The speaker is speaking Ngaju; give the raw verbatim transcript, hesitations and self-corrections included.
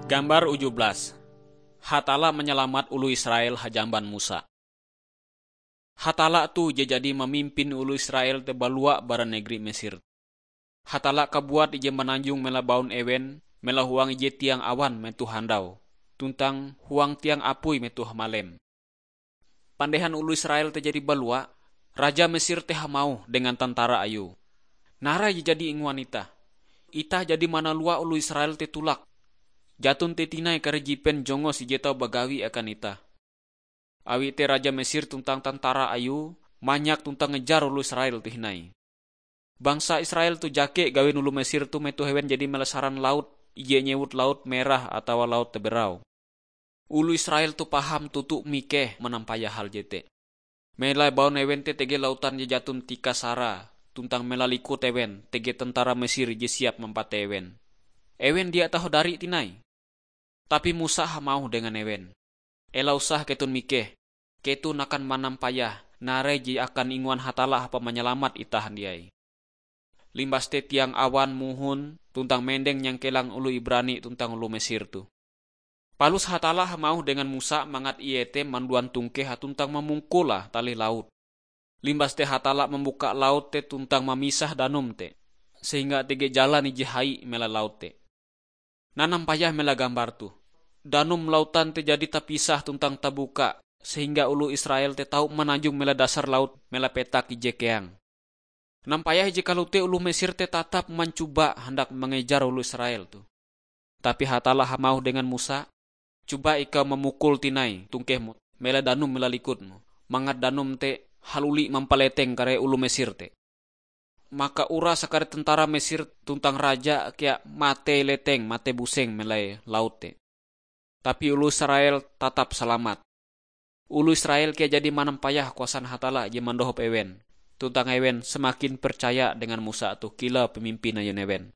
Gambar uju belas. Hatalla manyalamat oloh Israel hajamban Musa. Hatalla toh je jadi mamimpin oloh Israel te balua bara negeri Mesir. Hatalla kabuat ije mananjong mela baun ewen, mela huang ije tiang awan metoh handau, tuntang huang tiang apui metoh hamalem. Pandehan oloh Israel te jadi balua, raja Mesir te hamauh dengan tentara ayue, "Narai je jadi inguan itah. Itah jadi manalua oloh Israel te tulak. Jaton te tinai kare jipen jongos ije tau bagawi akan itah." Awi te raja Mesir tuntang tentara ayue manyak tuntang ngejar oloh Israel te hindai. Bangsa Israel toh jake gawin oloh Mesir toh metoh ewen jadi mela saran laut, ije nyewut Laut Merah atawa Laut Teberau. Oloh Israel toh paham toto mikeh manampayah hal jete. Mela baun ewen te tege lautan je jaton tikas sarae, tuntang mela likut ewen tege tentara Mesir je siap mampatei ewen. Ewen dia tahodari tinai. Tapi Musa hamauh dengan ewen, "Ela usah keton mikeh. Keton akan manampayah narai je akan inguan Hatalla hapan manyalamat itah handiai." Limbas te tiang awan mohon tuntang mendeng nyangkelang oloh Ibrani tuntang oloh Mesir toh. Palus Hatalla hamauh dengan Musa mangat ie te manduan tongkehe tuntang mamungkule talih laut. Limbas te Hatalla mambuka laut te tuntang mamisah danum te, sehingga tege jalan ije hai mela laut te. Nanampayah mela gambar toh. Danum lautan te jadi tapisah tuntang tabuka, sehingga oloh Israel te tau mananjong mela dasar laut mela petak ije keang. Nampayah ije kalote oloh Mesir te tatap mancoba handak mangejar oloh Israel toh. Tapi Hatalla hamauh dengan Musa, "Coba ikau mamukul tinai tongkehmu, mela danum mela likutmu, mangat danum te haluli mampaleteng kare oloh Mesir te. Maka uras kare tentara Mesir tuntang raja kea matei leteng matei buseng melai laut te. Tapi oloh Israel tatap salamat." Oloh Israel kea jadi manampayah kuasan Hatalla je mandohop ewen, tuntang ewen semakin percaya dengan Musa toh kilau pamimpin ayun ewen.